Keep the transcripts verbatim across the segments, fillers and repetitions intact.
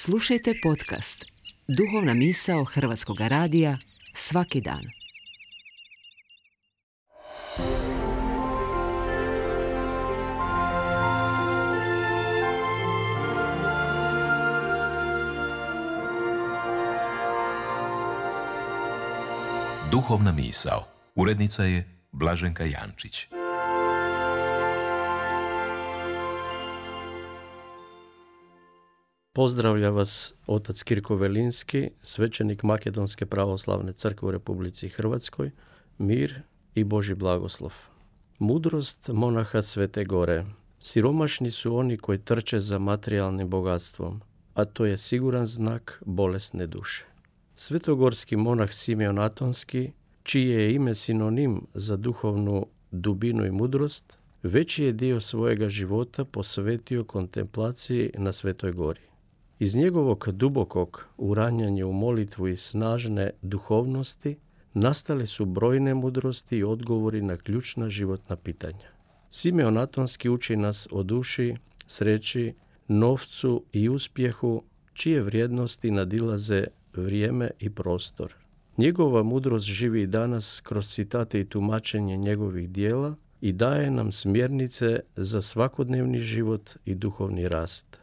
Slušajte podcast Duhovna misao Hrvatskog radija svaki dan. Duhovna misao. Urednica je Blaženka Jančić. Pozdravlja vas otac Kirko Velinski, svećenik Makedonske pravoslavne crkve u Republici Hrvatskoj, mir i Božji blagoslov. Mudrost monaha Svete Gore. Siromašni su oni koji trče za materijalnim bogatstvom, a to je siguran znak bolesne duše. Svetogorski monah Simeon Atonski, čije je ime sinonim za duhovnu dubinu i mudrost, veći je dio svojega života posvetio kontemplaciji na Svetoj Gori. Iz njegovog dubokog uranjanja u molitvu i snažne duhovnosti nastale su brojne mudrosti i odgovori na ključna životna pitanja. Simeon Atonski uči nas o duši, sreći, novcu i uspjehu, čije vrijednosti nadilaze vrijeme i prostor. Njegova mudrost živi i danas kroz citate i tumačenje njegovih dijela i daje nam smjernice za svakodnevni život i duhovni rast.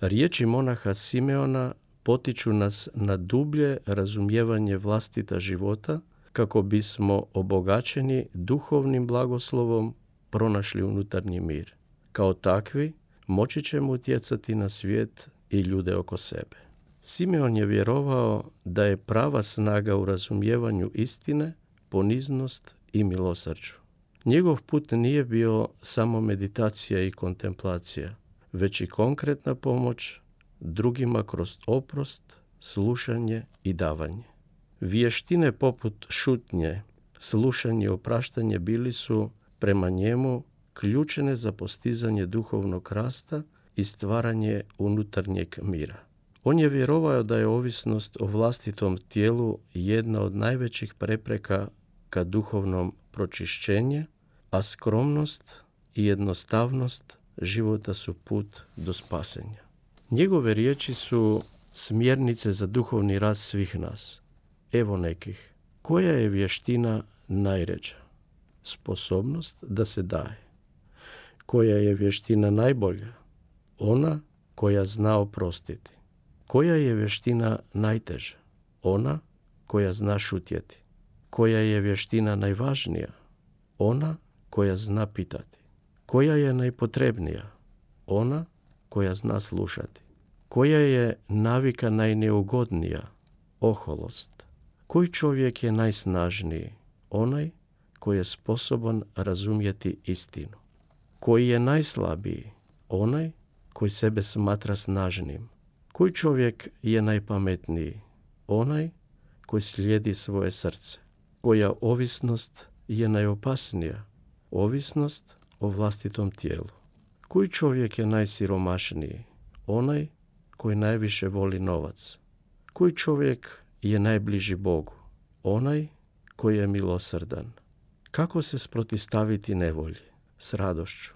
Riječi monaha Simeona potiču nas na dublje razumijevanje vlastita života kako bismo obogaćeni duhovnim blagoslovom pronašli unutarnji mir. Kao takvi moći ćemo utjecati na svijet i ljude oko sebe. Simeon je vjerovao da je prava snaga u razumijevanju istine, poniznost i milosrđu. Njegov put nije bio samo meditacija i kontemplacija, već i konkretna pomoć drugima kroz oprost, slušanje i davanje. Vještine poput šutnje, slušanje i opraštanje bili su prema njemu ključne za postizanje duhovnog rasta i stvaranje unutarnjeg mira. On je vjerovao da je ovisnost o vlastitom tijelu jedna od najvećih prepreka ka duhovnom pročišćenju, a skromnost i jednostavnost života su put do spasenja. Njegove riječi su smjernice za duhovni rad svih nas. Evo nekih. Koja je vještina najređa? Sposobnost da se daje. Koja je vještina najbolja? Ona koja zna oprostiti. Koja je vještina najteža? Ona koja zna šutjeti. Koja je vještina najvažnija? Ona koja zna pitati. Koja je najpotrebnija? Ona koja zna slušati. Koja je navika najneugodnija? Oholost. Koji čovjek je najsnažniji? Onaj koji je sposoban razumjeti istinu. Koji je najslabiji? Onaj koji sebe smatra snažnim. Koji čovjek je najpametniji? Onaj koji slijedi svoje srce. Koja ovisnost je najopasnija? Ovisnost o vlastitom tijelu. Koji čovjek je najsiromašniji? Onaj koji najviše voli novac. Koji čovjek je najbliži Bogu? Onaj koji je milosrdan. Kako se sprotistaviti nevolji? S radošću.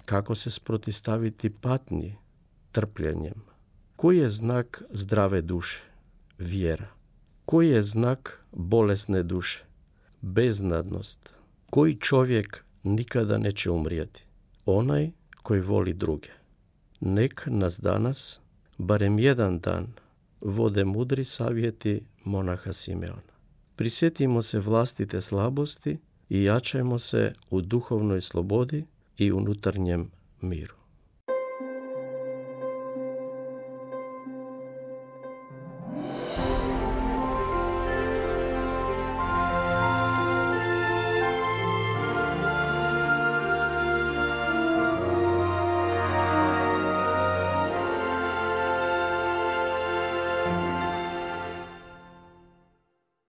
Kako se sprotistaviti patnji? Trpljenjem. Koji je znak zdrave duše? Vjera. Koji je znak bolesne duše? Beznadnost. Koji čovjek nikada neće umrijeti? Onaj koji voli druge. Nek nas danas, barem jedan dan, vode mudri savjeti monaha Simeona. Prisjetimo se vlastite slabosti i jačajmo se u duhovnoj slobodi i unutarnjem miru.